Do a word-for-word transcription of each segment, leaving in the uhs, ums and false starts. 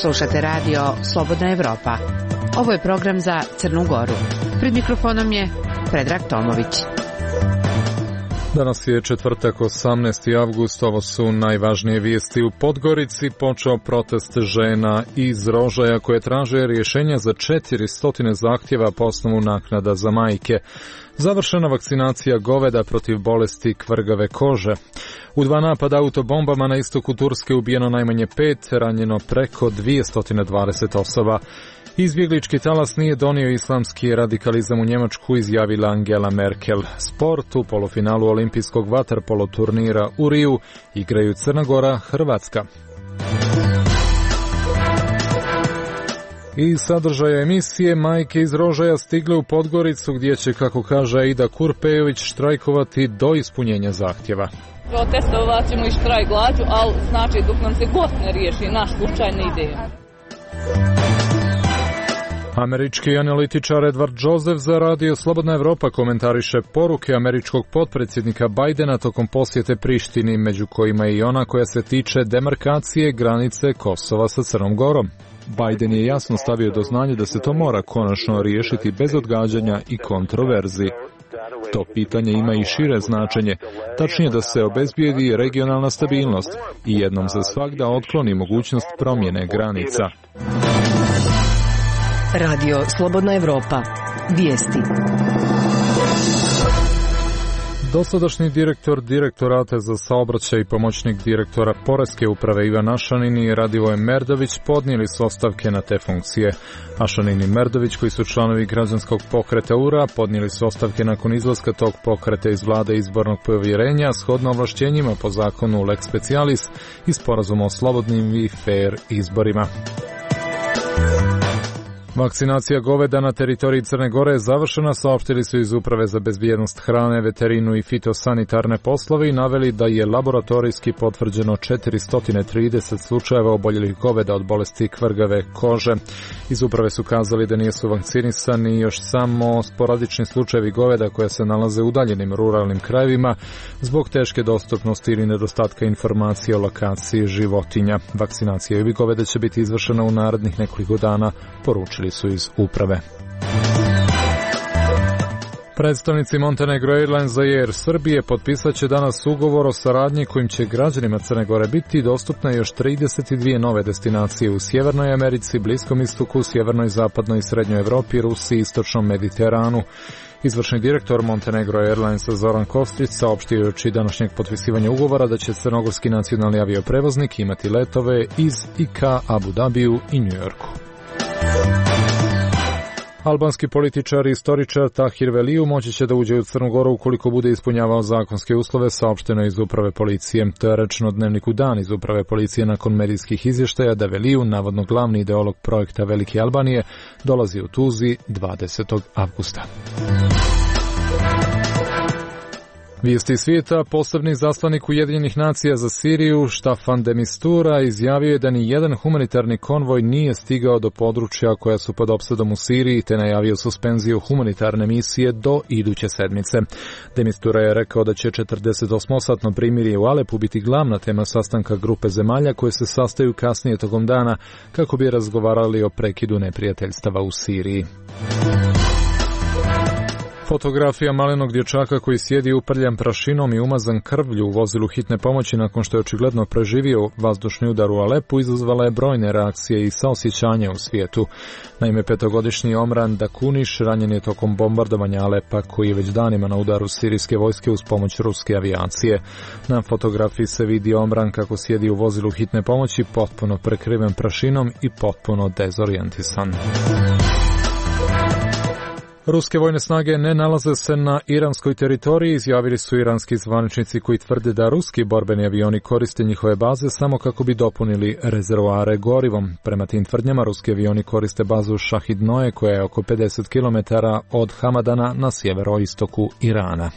Slušate radio Slobodna Evropa. Ovo je program za Crnu Goru. Pred mikrofonom je Predrag Tomović. Danas je četvrtak, osamnaesti avgust, ovo su najvažnije vijesti. U Podgorici počeo protest žena iz Rožaja koje traže rješenja za četiristo zahtjeva po osnovu naknada za majke. Završena vakcinacija goveda protiv bolesti kvrgave kože. U dva napada autobombama na istoku Turske ubijeno najmanje pet, ranjeno preko dvjesto dvadeset osoba. Izbjeglički talas nije donio islamski radikalizam u Njemačku, izjavila Angela Merkel. Sport u polufinalu olimpijskog vaterpolo turnira u Riju igraju Crna Gora, Hrvatska. I sadržaja emisije, majke iz Rožaja stigle u Podgoricu gdje će, kako kaže Aida Kurpejović, štrajkovati do ispunjenja zahtjeva. Protestovat ćemo i štrajk glađu, ali znači dok nam se god ne riješi naš slučaj ne ide. Američki analitičar Edward Joseph za radio Slobodna Evropa komentariše poruke američkog potpredsjednika Bajdena tokom posjete Prištini, među kojima je i ona koja se tiče demarkacije granice Kosova sa Crnom Gorom. Bajden je jasno stavio do znanja da se to mora konačno riješiti bez odgađanja i kontroverzi. To pitanje ima i šire značenje, tačnije da se obezbijedi regionalna stabilnost i jednom za svagda otkloni mogućnost promjene granica. Radio Slobodna Evropa. Vijesti. Dosadašnji direktor Direktorata za saobraćaj i pomoćnik direktora Poreske uprave Ivan Ašanin i Radivoje Merdović podnijeli su ostavke na te funkcije. Ašanin i Merdović, koji su članovi građanskog pokreta U R A, podnijeli su ostavke nakon izlaska tog pokreta iz vlade izbornog povjerenja, shodno ovlašćenjima po zakonu Lex Specialis i sporazumu o slobodnim i fair izborima. Vakcinacija goveda na teritoriji Crne Gore je završena, saopštili su iz Uprave za bezbjednost hrane, veterinu i fitosanitarne poslove i naveli da je laboratorijski potvrđeno četiristo trideset slučajeva oboljelih goveda od bolesti kvrgave kože. Iz Uprave su kazali da nisu vakcinisani još samo sporadični slučajevi goveda koje se nalaze u udaljenim ruralnim krajevima zbog teške dostupnosti ili nedostatka informacije o lokaciji životinja. Vakcinacija ovih goveda će biti izvršena u narednih nekoliko dana, poručili su iz Uprave. Predstavnici Montenegro Airlines i Air Srbije potpisat će danas ugovor o saradnji kojim će građanima Crne Gore biti dostupne još trideset dvije nove destinacije u Sjevernoj Americi, Bliskom istoku, Sjevernoj, Zapadnoj i Srednjoj Evropi, Rusiji i Istočnom Mediteranu. Izvršni direktor Montenegro Airlinesa Zoran Kostić saopštio je uoči današnjeg potpisivanja ugovora da će crnogorski nacionalni avioprevoznik imati letove iz i ka Abu Dabiju i Njujorku. Albanski političar i istoričar Tahir Veliju moći će da uđe u Crnu Goru ukoliko bude ispunjavao zakonske uslove, saopšteno iz Uprave policije. To je rečeno Dnevniku Dan iz Uprave policije nakon medijskih izvještaja da Veliju, navodno glavni ideolog projekta Velike Albanije, dolazi u Tuzli dvadesetog avgusta. Vijesti svijeta, posebni zaslanik Ujedinjenih nacija za Siriju, Staffan de Mistura, izjavio je da ni jedan humanitarni konvoj nije stigao do područja koja su pod opsadom u Siriji, te najavio suspenziju humanitarne misije do iduće sedmice. De Mistura je rekao da će četrdesetosmosatno primirje u Alepu biti glavna tema sastanka grupe zemalja koje se sastaju kasnije tokom dana kako bi razgovarali o prekidu neprijateljstava u Siriji. Fotografija malenog dječaka koji sjedi uprljan prašinom i umazan krvlju u vozilu hitne pomoći nakon što je očigledno preživio vazdušni udar u Alepu izazvala je brojne reakcije i saosjećanja u svijetu. Naime, petogodišnji Omran Dakuniš ranjen je tokom bombardovanja Alepa koji je već danima na udaru sirijske vojske uz pomoć ruske avijacije. Na fotografiji se vidi Omran kako sjedi u vozilu hitne pomoći potpuno prekriven prašinom i potpuno dezorijentisan. Ruske vojne snage ne nalaze se na iranskoj teritoriji, izjavili su iranski zvaničnici koji tvrde da ruski borbeni avioni koriste njihove baze samo kako bi dopunili rezervoare gorivom. Prema tim tvrdnjama, ruski avioni koriste bazu Šahid-Noe koja je oko pedeset kilometara od Hamadana na sjeveroistoku Irana.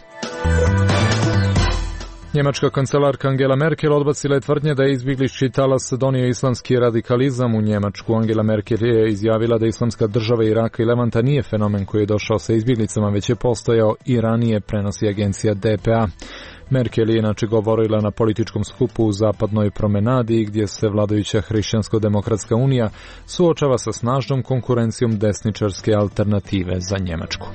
Njemačka kancelarka Angela Merkel odbacila je tvrdnje da je izbjeglički talas donio islamski radikalizam u Njemačku. Angela Merkel je izjavila da islamska država Iraka i Levanta nije fenomen koji je došao sa izbjeglicama, već je postojao i ranije, prenosi agencija D P A. Merkel je inače govorila na političkom skupu u zapadnoj promenadi, gdje se vladajuća Hrišćansko-demokratska unija suočava sa snažnom konkurencijom desničarske alternative za Njemačku.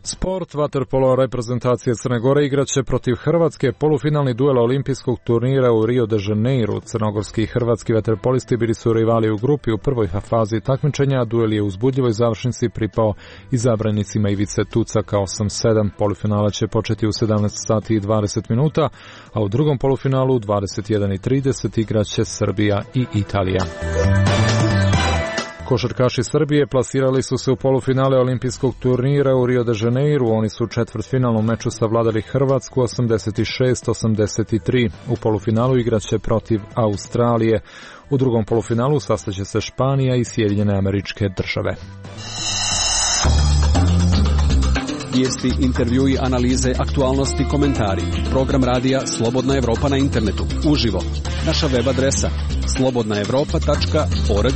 Sport, vaterpolo reprezentacije Crne Gore igraće protiv Hrvatske polufinalni duel olimpijskog turnira u Rio de Janeiru. Crnogorski i hrvatski vaterpolisti bili su rivali u grupi u prvoj fazi takmičenja, a duel je u uzbudljivoj završnici pripao izabranicima Ivice Tucaka osam sedam. Polufinala će početi u sedamnaest sati i dvadeset minuta, a u drugom polufinalu u dvadeset jedan i trideset igraće Srbija i Italija. Košarkaši Srbije plasirali su se u polufinale olimpijskog turnira u Rio de Janeiru. Oni su u četvrtfinalnom meču savladali Hrvatsku osamdeset šest osamdeset tri. U polufinalu igraće protiv Australije. U drugom polufinalu sastaće se Španija i Sjedinjene Američke Države. Vijesti, intervjui, analize, aktualnosti, komentari. Program radija Slobodna Evropa na internetu. Uživo. Naša web adresa slobodna evropa tačka org.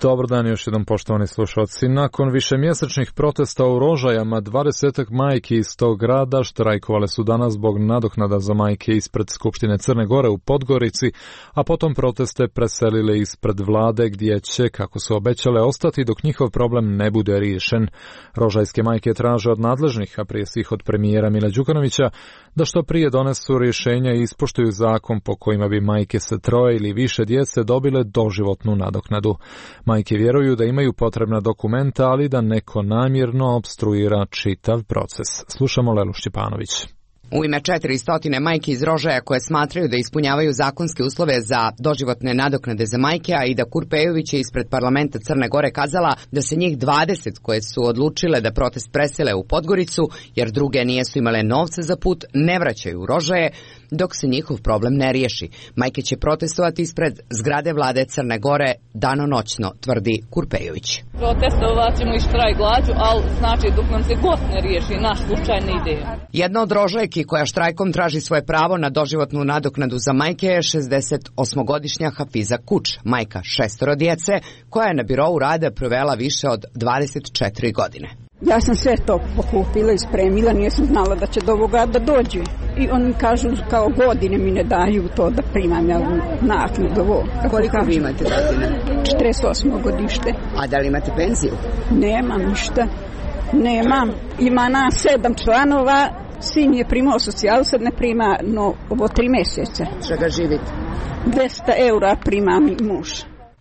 Dobar dan još jednom, poštovani slušalci. Nakon višemjesečnih protesta u Rožajama, dvadesetak majki iz tog grada štrajkovale su danas zbog nadoknada za majke ispred Skupštine Crne Gore u Podgorici, a potom proteste preselile ispred vlade, gdje će, kako su obećale, ostati dok njihov problem ne bude riješen. Rožajske majke traže od nadležnih, a prije svih od premijera Mila Đukanovića, da što prije donesu rješenja i ispoštuju zakon po kojima bi majke sa troje ili više djece dobile doživotnu nadoknadu. Majke vjeruju da imaju potrebna dokumenta, ali da neko namjerno opstruira čitav proces. Slušamo Lelu Šćepanović. U ime četiristo majki iz Rožaja koje smatraju da ispunjavaju zakonske uslove za doživotne nadoknade za majke, a i da Kurpejović je ispred parlamenta Crne Gore kazala da se njih dvadeset koje su odlučile da protest presele u Podgoricu, jer druge nijesu imale novce za put, ne vraćaju u Rožaje, dok se njihov problem ne riješi. Majke će protestovati ispred zgrade vlade Crne Gore danonoćno, tvrdi Kurpejović. Protestovat ćemo i štrajk glađu, ali znači dok nam se god ne riješi naš slučaj ne ide. Jedna od Rožajki koja štrajkom traži svoje pravo na doživotnu nadoknadu za majke je šezdesetosmogodišnja Hafiza Kuč, majka šestoro djece, koja je na birou rada provela više od dvadeset četiri godine. Ja sam sve to pokupila i spremila, nisam znala da će do ovoga da dođe. I oni kažu kao godine mi ne daju to da primam ja naknadu. Koliko vi imate godine? četrdeset osmo godište. A da li imate penziju? Nemam ništa. Nemam. Ima nas sedam članova, sin je primao socijalu, sad ne prima, no ovo tri mjeseca. Čega živite? dvesta eura prima mi muž.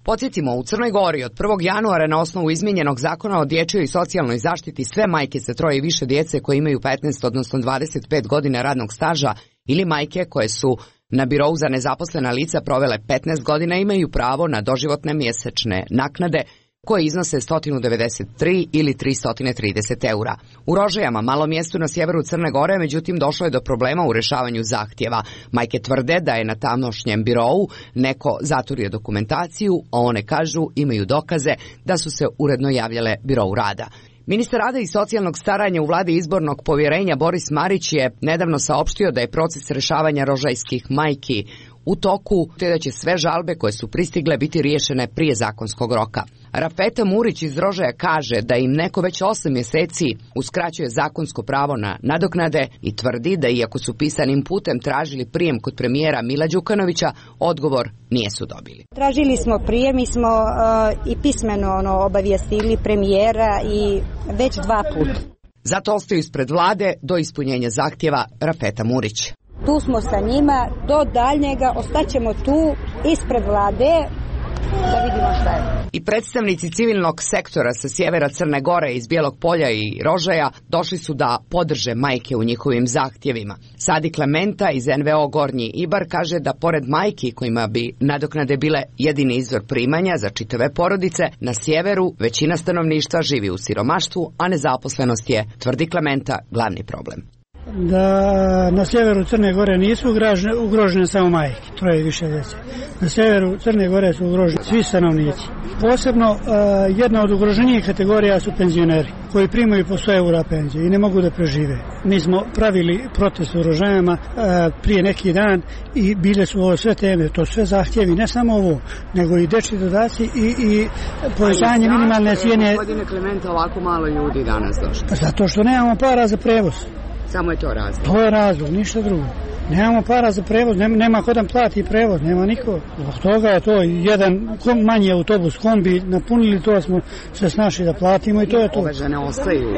Podsjetimo, u Crnoj Gori od prvog januara na osnovu izmijenjenog zakona o dječjoj i socijalnoj zaštiti sve majke sa troje i više djece koje imaju petnaest odnosno dvadeset pet godina radnog staža ili majke koje su na birou za nezaposlena lica provele petnaest godina imaju pravo na doživotne mjesečne naknade koje iznose sto devedeset tri ili tristo trideset eura. U Rožajama, malom mjestu na sjeveru Crne Gore, međutim došlo je do problema u rješavanju zahtjeva. Majke tvrde da je na tamošnjem birou neko zaturio dokumentaciju, a one kažu imaju dokaze da su se uredno javljale birou rada. Ministar rada i socijalnog staranja u vladi izbornog povjerenja Boris Marić je nedavno saopštio da je proces rješavanja rožajskih majki u toku, te da će sve žalbe koje su pristigle biti riješene prije zakonskog roka. Rafeta Murić iz Rožaja kaže da im neko već osam mjeseci uskraćuje zakonsko pravo na nadoknade i tvrdi da iako su pisanim putem tražili prijem kod premijera Mila Đukanovića, odgovor nijesu dobili. Tražili smo prijem, mi smo uh, i pismeno ono, obavijestili premijera i već dva puta. Zato ostaju ispred vlade do ispunjenja zahtjeva Rafeta Murić. Tu smo sa njima, do daljnjega ostaćemo tu ispred vlade da vidimo šta je. I predstavnici civilnog sektora sa sjevera Crne Gore, iz Bijelog Polja i Rožaja došli su da podrže majke u njihovim zahtjevima. Sadi Klementa iz en ve o Gornji Ibar kaže da pored majki kojima bi nadoknade bile jedini izvor primanja za čitave porodice, na sjeveru većina stanovništva živi u siromaštvu, a nezaposlenost je, tvrdi Klementa, glavni problem. da na sjeveru Crne Gore nisu ugrožene, ugrožene samo majke, troje i više djece. Na sjeveru Crne Gore su ugroženi svi stanovnici. Posebno uh, jedna od ugroženijih kategorija su penzioneri koji primaju po sto eura penzije i ne mogu da prežive. Mi smo pravili protest u Rožajama uh, prije neki dan i bile su ovo sve teme, to sve zahtjevi, ne samo ovo, nego i dečji dodaci i, i povećanje minimalne cijene. Gospodine Klementa, ovako malo ljudi danas došlo. Zato što nemamo para za prevoz. Samo je to razlog. To je razlog, ništa drugo. Nemamo para za prevoz, nema, nema ko da plati prevoz, nema niko. Zbog toga je to jedan manji autobus, kombi, napunili to, smo se snašli da platimo i to je to. Ove žene ostaju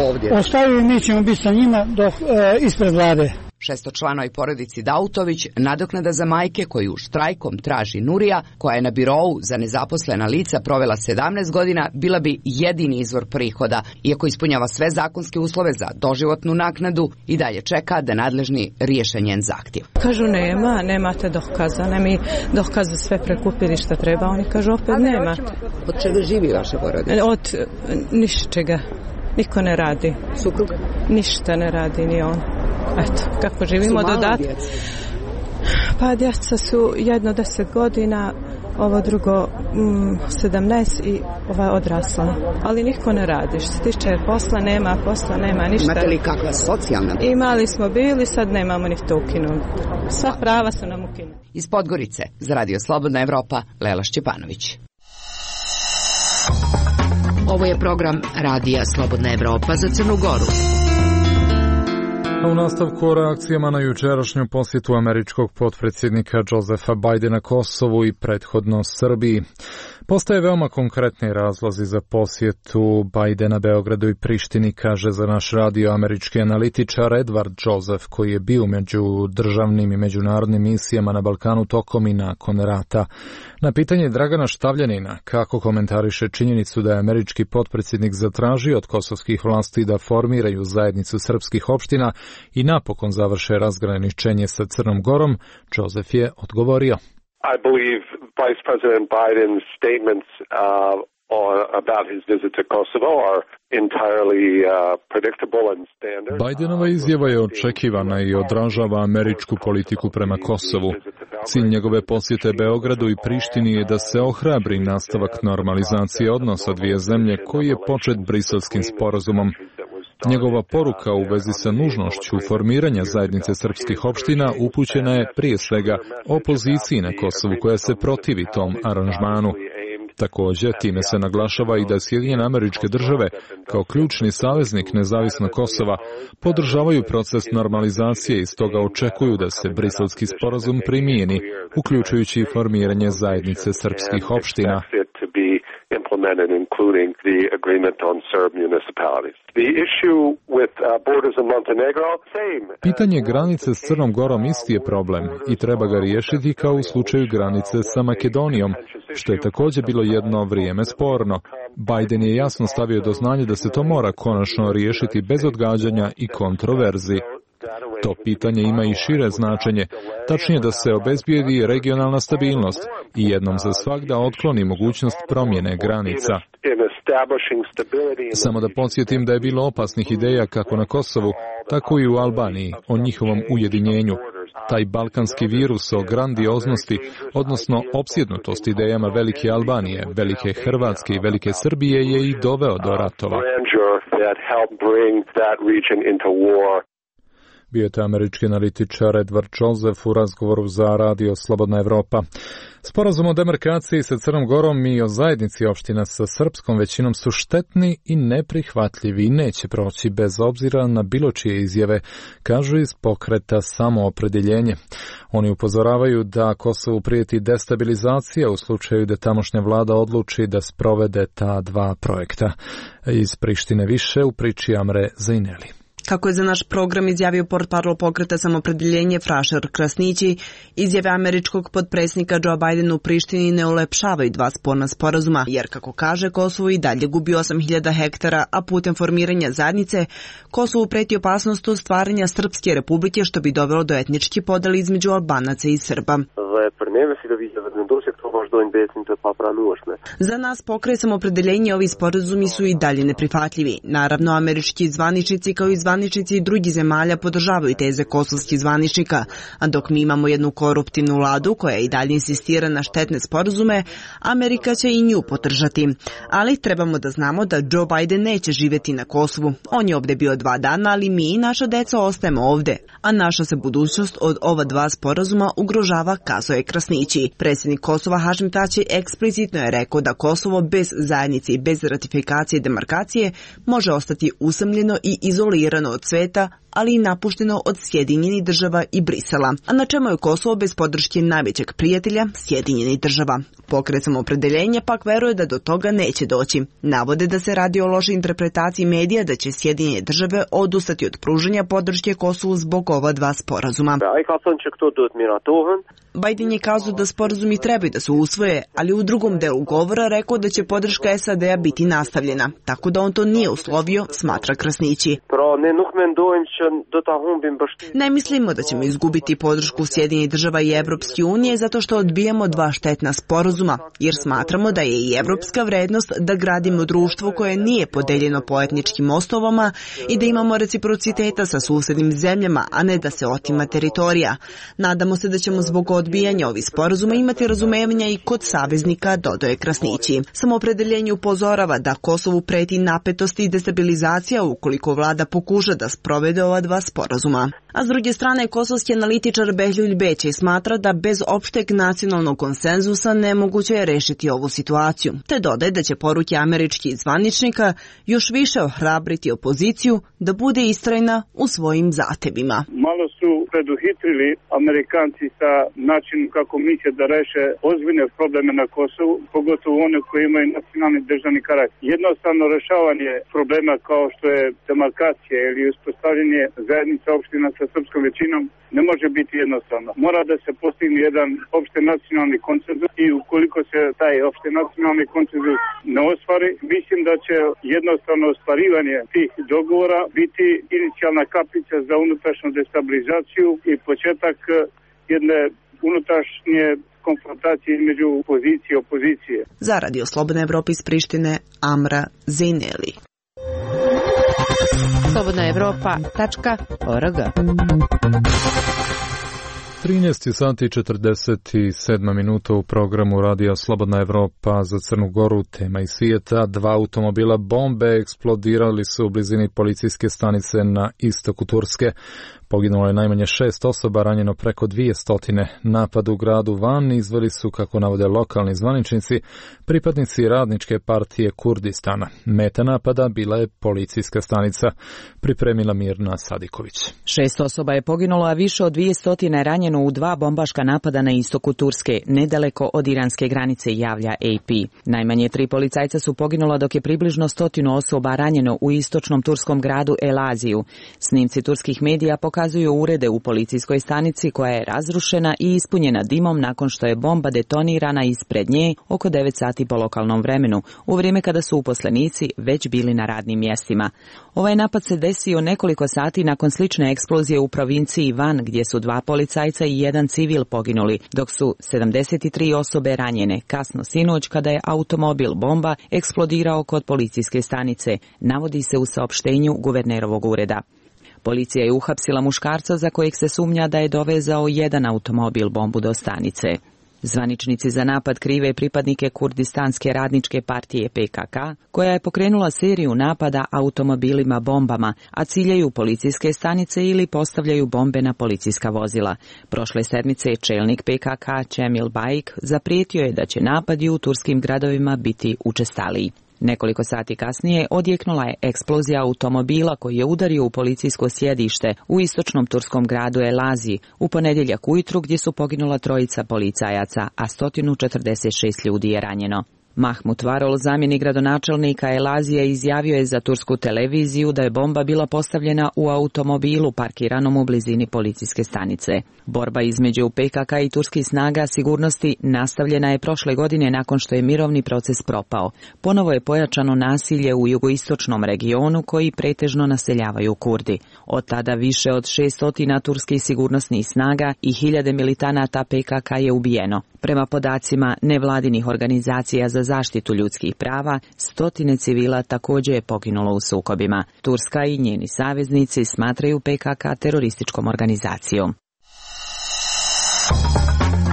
ovdje. Ostaju i mi ćemo biti sa njima dok, e, ispred vlade. Šestočlanoj porodici Dautović nadoknada za majke koju štrajkom traži Nurija, koja je na birou za nezaposlena lica provela sedamnaest godina, bila bi jedini izvor prihoda. Iako ispunjava sve zakonske uslove za doživotnu naknadu, i dalje čeka da nadležni riješe njen zahtjev. Kažu nema, nemate dokaza, ne mi dokaze sve prekupili što treba, oni kažu opet nemate. Od čega živi vaša porodica? Od ničega. Niko ne radi. Suprug? Ništa ne radi, ni on. Eto, kako živimo dodat. Pa djeca su jedno deset godina, ovo drugo mm, sedamnaest i ova odrasla. Ali niko ne radi. Što se tiče posla, nema posla, nema ništa. Imate li kakva socijalna? Imali smo bili, sad nemamo ni to ukinuti. Sva prava su nam ukinuti. Iz Podgorice, za Radio Slobodna Evropa, Lela Šćepanović. Ovo je program Radija Slobodna Evropa za Crnu Goru. U nastavku o reakcijama na jučerašnju posjetu američkog potpredsjednika Josefa Bidena Kosovu i prethodno Srbiji. Postaje veoma konkretni razlozi za posjetu Bidena Beogradu i Prištini, kaže za naš radio američki analitičar Edward Joseph, koji je bio među državnim i međunarodnim misijama na Balkanu tokom i nakon rata. Na pitanje Dragana Štavljanina, kako komentariše činjenicu da je američki potpredsjednik zatražio od kosovskih vlasti da formiraju zajednicu srpskih opština i napokon završe razgraničenje sa Crnom Gorom, Joseph je odgovorio. I believe Vice President Biden's statements uh, on, about his visit to Kosovo are entirely uh, predictable and standard. Bidenova izjava je očekivana i odražava američku politiku prema Kosovu. Cilj njegove posjete Beogradu i Prištini je da se ohrabri nastavak normalizacije odnosa dvije zemlje koji je počet Briselskim sporazumom. Njegova poruka u vezi sa nužnošću formiranja zajednice srpskih opština upućena je prije svega opoziciji na Kosovu koja se protivi tom aranžmanu. Također, time se naglašava i da Sjedinjene Američke Države, kao ključni saveznik nezavisnog Kosova, podržavaju proces normalizacije i stoga očekuju da se Briselski sporazum primijeni, uključujući i formiranje zajednice srpskih opština. Implemented, including the agreement on Serb municipalities. The issue with uh, borders in Montenegro, same. Pitanje granice s Crnom Gorom isti je problem i treba ga riješiti kao u slučaju granice sa Makedonijom, što je također bilo jedno vrijeme sporno. Biden je jasno stavio do znanja da se to mora konačno riješiti bez odgađanja i kontroverzi. To pitanje ima i šire značenje, tačnije da se obezbijedi regionalna stabilnost i jednom za svagda otkloni mogućnost promjene granica. Samo da podsjetim da je bilo opasnih ideja kako na Kosovu, tako i u Albaniji o njihovom ujedinjenju. Taj balkanski virus o grandioznosti, odnosno opsjednutost idejama velike Albanije, velike Hrvatske i velike Srbije je i doveo do ratova. Bio je to američki analitičar Edward Joseph u razgovoru za radio Slobodna Evropa. Sporazum o demarkaciji sa Crnom Gorom i o zajednici opština sa srpskom većinom su štetni i neprihvatljivi i neće proći bez obzira na bilo čije izjave, kažu iz pokreta Samoopredjeljenje. Oni upozoravaju da Kosovu prijeti destabilizacija u slučaju da tamošnja vlada odluči da sprovede ta dva projekta. Iz Prištine više u priči Amre Zaineli. Kako je za naš program izjavio portparol pokreta Samoopredjeljenje Frašer Krasnići, izjave američkog potpredsjednika Joe Bidena u Prištini ne ulepšavaju dva sporna sporazuma, jer kako kaže, Kosovo i dalje gubi osam hiljada hektara, a putem formiranja zajednice Kosovu preti opasnost od stvaranja Srpske republike, što bi dovelo do etničke podele između Albanaca i Srba. Za nas pokret Samoopredjeljenje ovi sporazumi su i dalje neprihvatljivi. Naravno, američki zvaničnici kao i zvaničnici zvaničnici i drugih zemalja podržavaju teze kosovskih zvaničnika, a dok mi imamo jednu koruptivnu vladu koja i dalje insistira na štetne sporazume, Amerika će i nju podržati. Ali trebamo da znamo da Joe Biden neće živjeti na Kosovu. On je ovdje bio dva dana, ali mi i naša deca ostajemo ovdje, a naša se budućnost od ova dva sporazuma ugrožava, kazao je Krasnići. Predsjednik Kosova Hašim Tači eksplicitno je rekao da Kosovo bez zajednice i bez ratifikacije i demarkacije može ostati usamljeno i izolirano od sveta, ali i napušteno od Sjedinjenih država i Brisela. A na čemu je Kosovo bez podrške najvećeg prijatelja, Sjedinjenih država? Pokret Samoopredeljenja pak veruje da do toga neće doći. Navode da se radi o lošoj interpretaciji medija da će Sjedinjene države odustati od pružanja podrške Kosovu zbog ova dva sporazuma. Biden je kazao da sporazumi trebaju da se usvoje, ali u drugom delu govora rekao da će podrška S A D-a biti nastavljena, tako da on to nije uslovio, smatra Krasnići. Ne mislimo da ćemo izgubiti podršku Sjedinjenih država i Evropske unije zato što odbijamo dva štetna sporazuma, jer smatramo da je i evropska vrednost da gradimo društvo koje nije podeljeno po etničkim osnovama i da imamo reciprociteta sa susednim zemljama, a ne da se otima teritorija. Nadamo se da ćemo zbog odbijanja ovih sporazuma imati razumevanja i kod saveznika, dodaje Krasnići. Samoopredeljenje upozorava da Kosovu preti napetost i destabilizacija ukoliko vlada pokuša da sprovede ova dva sporazuma. A s druge strane, kosovski analitičar Behlul Bećej smatra da bez opšteg nacionalnog konsenzusa nemoguće je rešiti ovu situaciju, te dodaje da će poruke američkih zvaničnika još više ohrabriti opoziciju da bude istrajna u svojim zahtevima. Malo su preduhitrili Amerikanci sa načinom kako misle da reše ozbiljne probleme na Kosovu, pogotovo one koji imaju nacionalni državni karakter. Jednostavno rešavanje problema kao što je demarkacija ili uspostavljanje zajednica opština sa srpskom većinom ne može biti jednostavno. Mora da se postigne jedan opšte nacionalni konsenzus i ukoliko se taj opšte nacionalni konsenzus ne ostvari, mislim da će jednostavno ostvarivanje tih dogovora biti inicijalna kapica za unutrašnju destabilizaciju i početak jedne unutrašnje konfrontacije između pozicije i opozicije. Za Radio Slobodna Evropa iz Prištine, Amra Zejneli. slobodna evropa tačka org. trinaest sati i četrdeset sedam minuta u programu Radija Slobodna Evropa za Crnu Goru. Tema iz svijeta: dva automobila bombe eksplodirali su u blizini policijske stanice na istoku Turske. Poginulo je najmanje šest osoba, ranjeno preko dvije stotine. Napad u gradu Van izveli su, kako navode lokalni zvaničnici, pripadnici Radničke partije Kurdistana. Meta napada bila je policijska stanica, pripremila Mirna Sadiković. Šest osoba je poginulo, a više od dvije stotine ranjeno u dva bombaška napada na istoku Turske, nedaleko od iranske granice, javlja A P. Najmanje tri policajca su poginula, dok je približno stotinu osoba ranjeno u istočnom turskom gradu Elaziju. Snimci turskih medija pokazuju Pokazuju urede u policijskoj stanici koja je razrušena i ispunjena dimom nakon što je bomba detonirana ispred nje oko devet sati po lokalnom vremenu, u vrijeme kada su uposlenici već bili na radnim mjestima. Ovaj napad se desio nekoliko sati nakon slične eksplozije u provinciji Van, gdje su dva policajca i jedan civil poginuli, dok su sedamdeset tri osobe ranjene kasno sinoć kada je automobil bomba eksplodirao kod policijske stanice, navodi se u saopštenju guvernerovog ureda. Policija je uhapsila muškarca za kojeg se sumnja da je dovezao jedan automobil bombu do stanice. Zvaničnici za napad krive pripadnike Kurdistanske radničke partije P K K, koja je pokrenula seriju napada automobilima bombama, a ciljaju policijske stanice ili postavljaju bombe na policijska vozila. Prošle sedmice čelnik P K K Cemil Bajik zaprijetio je da će napadi u turskim gradovima biti učestaliji. Nekoliko sati kasnije odjeknula je eksplozija automobila koji je udario u policijsko sjedište u istočnom turskom gradu Elaziji u ponedjeljak ujutru, gdje su poginula trojica policajaca, a sto četrdeset šest ljudi je ranjeno. Mahmut Varol, zamjenik gradonačelnika Elazije, izjavio je za tursku televiziju da je bomba bila postavljena u automobilu parkiranom u blizini policijske stanice. Borba između P K K i turskih snaga sigurnosti nastavljena je prošle godine nakon što je mirovni proces propao. Ponovo je pojačano nasilje u jugoistočnom regionu koji pretežno naseljavaju Kurdi. Od tada više od šeststo turskih sigurnosnih snaga i hiljade militanata P K K je ubijeno. Prema podacima nevladinih organizacija za zaštitu ljudskih prava, stotine civila također je poginulo u sukobima. Turska i njeni saveznici smatraju P K K terorističkom organizacijom.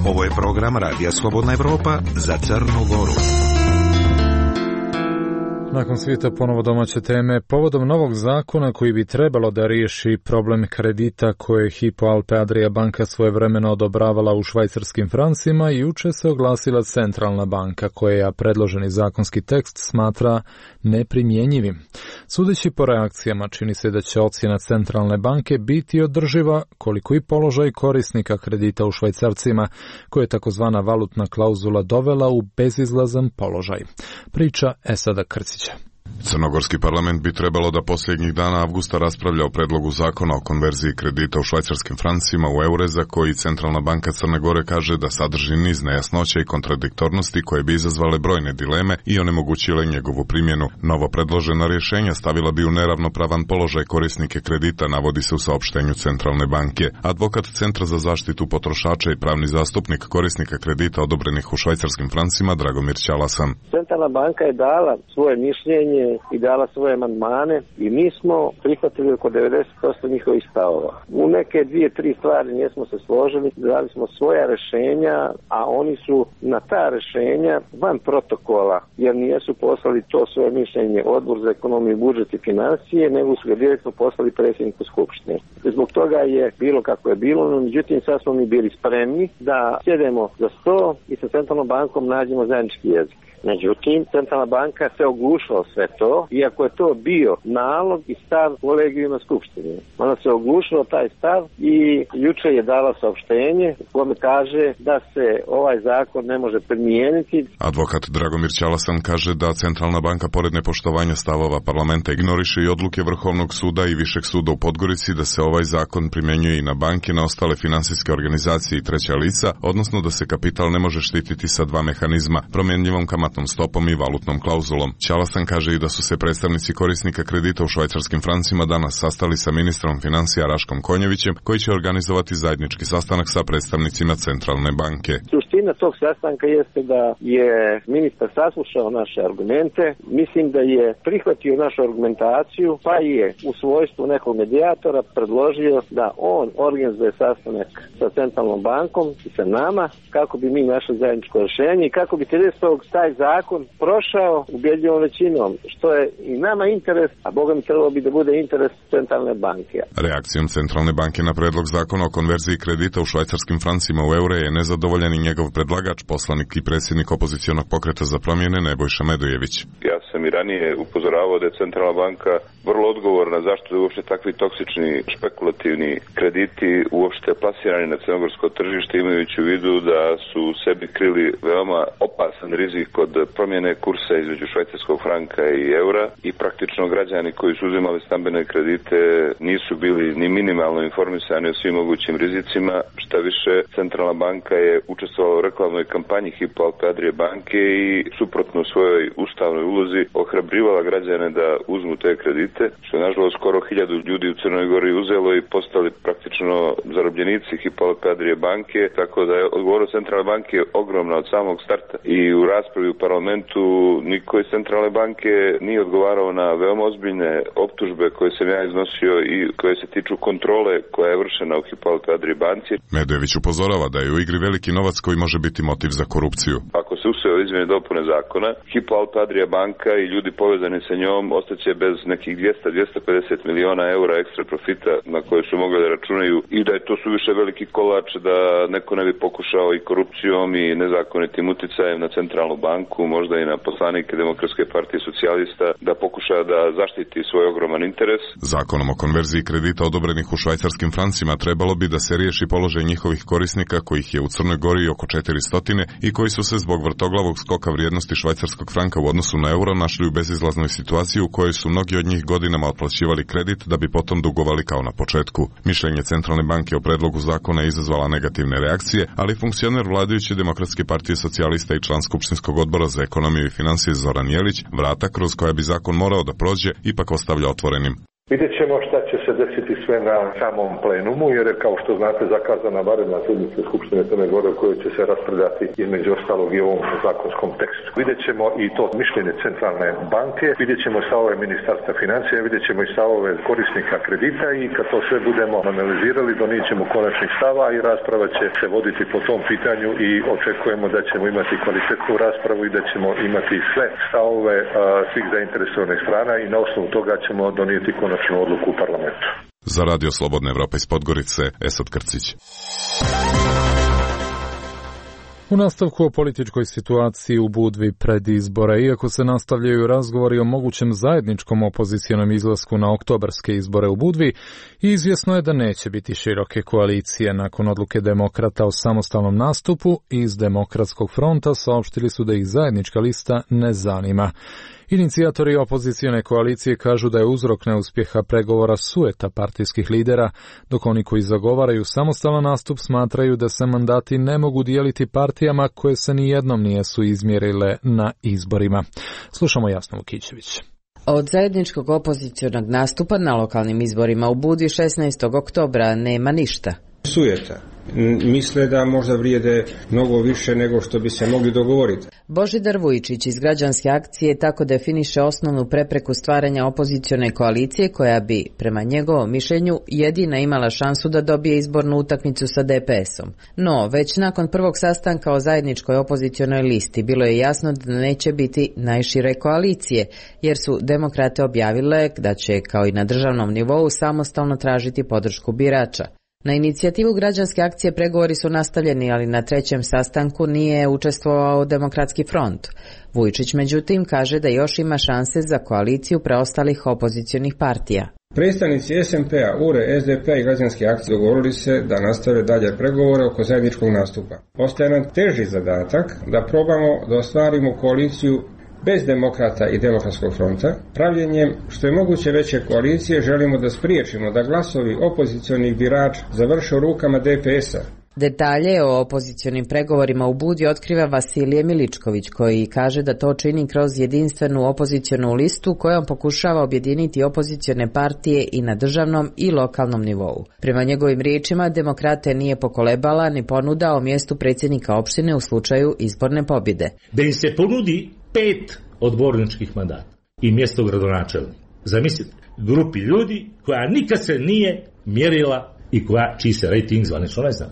Ovo je program Radija Slobodna Evropa za Crnu Goru. Nakon svijeta ponovo domaće teme, povodom novog zakona koji bi trebalo da riješi problem kredita koje je Hypo Alpe Adria banka svojevremeno odobravala u švajcarskim francima, juče se oglasila Centralna banka koja predloženi zakonski tekst smatra neprimjenjivim. Sudeći po reakcijama, čini se da će ocjena Centralne banke biti održiva koliko i položaj korisnika kredita u švajcarcima, koje je takozvana valutna klauzula dovela u bezizlazan položaj. Priča Esada Krcića. Crnogorski parlament bi trebalo da posljednjih dana avgusta raspravlja o predlogu zakona o konverziji kredita u švajcarskim francima u eure, za koji Centralna banka Crne Gore kaže da sadrži niz nejasnoća i kontradiktornosti koje bi izazvale brojne dileme i onemogućile njegovu primjenu. Novo predložena rješenja stavila bi u neravnopravan položaj korisnike kredita, navodi se u saopštenju Centralne banke. Advokat Centra za zaštitu potrošača i pravni zastupnik korisnika kredita odobrenih u švajcarskim francima Dragomir Ćalasan. Centralna banka je dala svoje mišljenje i dala svoje amandmane i mi smo prihvatili oko devedeset posto njihovih stavova. U neke dvije, tri stvari nismo se složili, dali smo svoja rješenja, a oni su na ta rješenja van protokola, jer nisu poslali to svoje mišljenje Odbor za ekonomiju, budžet i financije, nego su ga direktno poslali predsjedniku Skupštine. Zbog toga je bilo kako je bilo, no međutim sad smo mi bili spremni da sjedemo za sto i sa Centralnom bankom nađemo zajednički jezik. Međutim, Centralna banka se oglušila sve to, iako je to bio nalog i stav kolegijuma Skupštine. Ona se oglušila taj stav i juče je dala saopštenje u kome kaže da se ovaj zakon ne može primijeniti. Advokat Dragomir Ćalasan kaže da Centralna banka pored nepoštovanja stavova parlamenta ignoriše i odluke Vrhovnog suda i Višeg suda u Podgorici da se ovaj zakon primjenjuje i na banke, na ostale finansijske organizacije i treća lica, odnosno da se kapital ne može štititi sa dva mehanizma, promjenjivom kamatnom stopom i valutnom klauzulom. Ćalasan kaže i da su se predstavnici korisnika kredita u švajcarskim francima danas sastali sa ministrom financija Raškom Konjevićem, koji će organizovati zajednički sastanak sa predstavnicima Centralne banke. Suština tog sastanka jeste da je ministar saslušao naše argumente, mislim da je prihvatio našu argumentaciju, pa je u svojstvu nekog medijatora predložio da on organizuje sastanak sa Centralnom bankom i sa nama, kako bi mi našli zajedničko rješenje i kako bi tridesetog taj zakon prošao ubedljivom većinom, što je i nama interes, a Boga mi trebalo bi da bude interes Centralne banke. Reakcijom Centralne banke na predlog zakona o konverziji kredita u švajcarskim francima u eure je nezadovoljan i njegov predlagač, poslanik i predsjednik opozicionog pokreta za promjene Nebojša Medojević. Ja sam i ranije upozoravao da je Centralna banka vrlo odgovorna zašto je uopšte takvi toksični špekulativni krediti uopšte plasirani na crnogorsko tržište, imajući u vidu da su sebi krili veoma opasan rizik kod promjene kursa između švajcarskog franka i eura i praktično građani koji su uzimali stambene kredite nisu bili ni minimalno informisani o svim mogućim rizicima. Šta više, Centralna banka je učestvovala u reklamnoj kampanji Hypo Alpe Adria banke i suprotno svojoj ustavnoj ulozi ohrabrivala građane da uzmu te kredite, što je nažalost skoro hiljadu ljudi u Crnoj Gori uzelo i postali praktično zarobljenici Hypo Alpe Adria banke, tako da je odgovornost Centralne banke ogromna od samog starta i u raspravi u parlamentu niko iz Centralne banke nije odgovarao na veoma ozbiljne optužbe koje sam ja iznosio i koje se tiču kontrole koja je vršena u Hypo Alpe Adria banci. Medojević upozorava da je u igri veliki novac koji može biti motiv za korupciju. Ako se usvoje izmjene dopune zakona, Hypo Alpe Adria banka i ljudi povezani sa njom ostaće bez nekih dvjesto do dvjesto pedeset miliona eura ekstra profita na koje su mogli da računaju i da je to suviše veliki kolač da neko ne bi pokušao i korupcijom i nezakonitim uticajem na Centralnu banku, možda i na poslanike Demokratske partije socijalista, da pokuša da zaštiti svoj ogroman interes. Zakonom o konverziji kredita odobrenih u švajcarskim francima trebalo bi da se riješi položaj njihovih korisnika, kojih je u Crnoj Gori oko četiristo i koji su se zbog vrtoglavog skoka vrijednosti švajcarskog franka u odnosu na euro našli u bezizlaznoj situaciji u kojoj su mnogi od njih godinama otplaćivali kredit da bi potom dugovali kao na početku. Mišljenje Centralne banke o predlogu zakona je izazvala negativne reakcije, ali funkcioner vladajuće Demokratske partije socijalista i član Skupštinskog odbora za ekonomiju i financije Zoran Jelić vrata kroz koja bi zakon morao da prođe ipak ostavlja otvorenim. Vidjet ćemo šta će se desiti sve na samom plenumu, jer je, kao što znate, zakazana vanredna sjednica Skupštine Crne Gore u kojoj će se raspravljati između ostalog i ovom zakonskom tekstu. Vidjet ćemo i to mišljenje Centralne banke, vidjet ćemo i stavove Ministarstva financija, vidjet ćemo i stavove korisnika kredita i kad to sve budemo analizirali, donijet ćemo konačnih stava i rasprava će se voditi po tom pitanju i očekujemo da ćemo imati kvalitetnu raspravu i da ćemo imati sve stavove a, svih zainteresovanih strana i na osnovu toga ćemo donijeti konačnu odluku u parlamentu. Za Radio Slobodna Evropa iz Podgorice, Esad Krcić. U nastavku o političkoj situaciji u Budvi pred izbore, iako se nastavljaju razgovori o mogućem zajedničkom opozicionom izlasku na oktobarske izbore u Budvi, izvjesno je da neće biti široke koalicije. Nakon odluke demokrata o samostalnom nastupu, iz Demokratskog fronta saopštili su da ih zajednička lista ne zanima. Inicijatori opozicione koalicije kažu da je uzrok neuspjeha pregovora sujeta partijskih lidera, dok oni koji zagovaraju samostalan nastup smatraju da se mandati ne mogu dijeliti partijama koje se ni jednom nijesu izmjerile na izborima. Slušamo Jasnu Vukićević. Od zajedničkog opozicionog nastupa na lokalnim izborima u Budvi šesnaestog oktobra nema ništa. Sujeta. Misle da možda vrijede mnogo više nego što bi se mogli dogovoriti. Božidar Vujičić iz Građanske akcije tako definiše osnovnu prepreku stvaranja opozicione koalicije koja bi, prema njegovom mišljenju, jedina imala šansu da dobije izbornu utakmicu sa D P S-om. No, već nakon prvog sastanka o zajedničkoj opozicionoj listi bilo je jasno da neće biti najšire koalicije, jer su demokrate objavile da će, kao i na državnom nivou, samostalno tražiti podršku birača. Na inicijativu Građanske akcije pregovori su nastavljeni, ali na trećem sastanku nije učestvovao Demokratski front. Vujičić međutim kaže da još ima šanse za koaliciju preostalih opozicionih partija. Predstavnici S M P-a, U R E, S D P-a i Građanske akcije dogovorili se da nastave dalje pregovore oko zajedničkog nastupa. Ostaje nam teži zadatak da probamo da ostvarimo koaliciju bez demokrata i Demokratskog fronta. Pravljenjem što je moguće veće koalicije želimo da spriječimo da glasovi opozicionih birača završe u rukama D P S-a. Detalje o opozicionim pregovorima u Budvi otkriva Vasilije Miličković, koji kaže da to čini kroz jedinstvenu opozicionu listu kojom pokušava objediniti opozicione partije i na državnom i lokalnom nivou. Prema njegovim riječima, demokrate nije pokolebala ni ponuda o mjestu predsjednika opštine u slučaju izborne pobjede. Da im se ponudi pet odborničkih mandata i mjesto gradonačelnika. Zamislite, grupi ljudi koja nikad se nije mjerila i koja, čiji se rejting zvanično ne zna.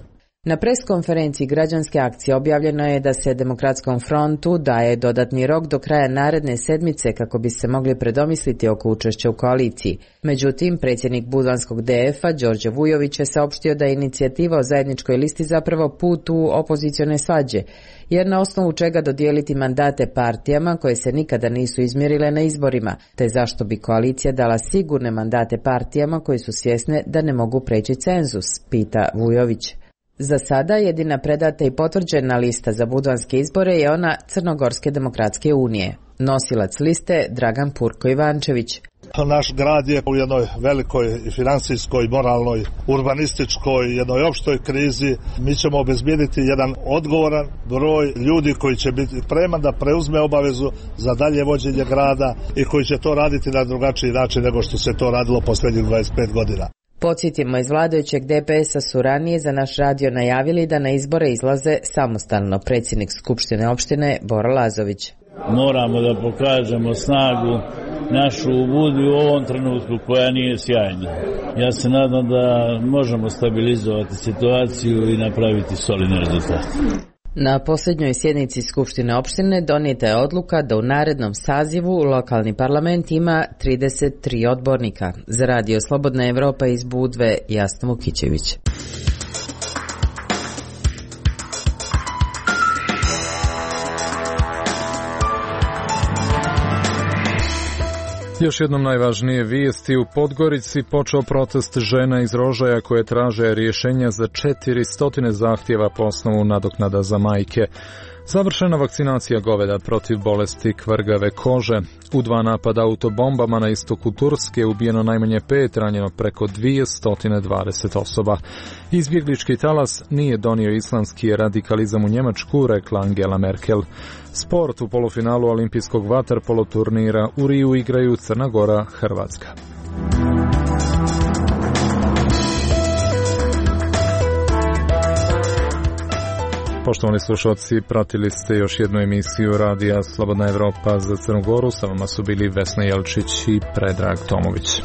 Na preskonferenciji Građanske akcije objavljeno je da se Demokratskom frontu daje dodatni rok do kraja naredne sedmice kako bi se mogli predomisliti oko učešća u koaliciji. Međutim, predsjednik Budvanskog D F-a Đorđe Vujović je saopštio da je inicijativa o zajedničkoj listi zapravo put u opozicione svađe, jer na osnovu čega dodijeliti mandate partijama koje se nikada nisu izmjerile na izborima, te zašto bi koalicija dala sigurne mandate partijama koje su svjesne da ne mogu preći cenzus, pita Vujović. Za sada jedina predata i potvrđena lista za budvanske izbore je ona Crnogorske demokratske unije. Nosilac liste Dragan Purko Ivančević. Naš grad je u jednoj velikoj financijskoj, moralnoj, urbanističkoj, jednoj opštoj krizi. Mi ćemo obezbijediti jedan odgovoran broj ljudi koji će biti spreman da preuzme obavezu za dalje vođenje grada i koji će to raditi na drugačiji način nego što se to radilo posljednjih dvadeset pet godina. Podsjetimo, iz vladajućeg D P S-a su ranije za naš radio najavili da na izbore izlaze samostalno. Predsjednik Skupštine opštine Bora Lazović. Moramo da pokažemo snagu našu u Budvi u ovom trenutku koja nije sjajna. Ja se nadam da možemo stabilizovati situaciju i napraviti solidne rezultate. Na posljednjoj sjednici Skupštine opštine donijeta je odluka da u narednom sazivu lokalni parlament ima trideset tri odbornika. Za radio Slobodna Evropa iz Budve, Jasna Vukićević. Još jednom najvažnije vijesti. U Podgorici počeo protest žena iz Rožaja koje traže rješenja za četiristo zahtjeva po osnovu nadoknada za majke. Završena vakcinacija goveda protiv bolesti kvrgave kože. U dva napada autobombama na istoku Turske ubijeno najmanje pet, ranjeno preko dvjesto dvadeset osoba. Izbjeglički talas nije donio islamski radikalizam u Njemačku, rekla Angela Merkel. Sport u polufinalu olimpijskog vaterpolo turnira u Riju igraju Crna Gora, Hrvatska. Poštovani slušalci, pratili ste još jednu emisiju Radija Slobodna Evropa za Crnu Goru. Sa vama su bili Vesna Jelčić i Predrag Tomović.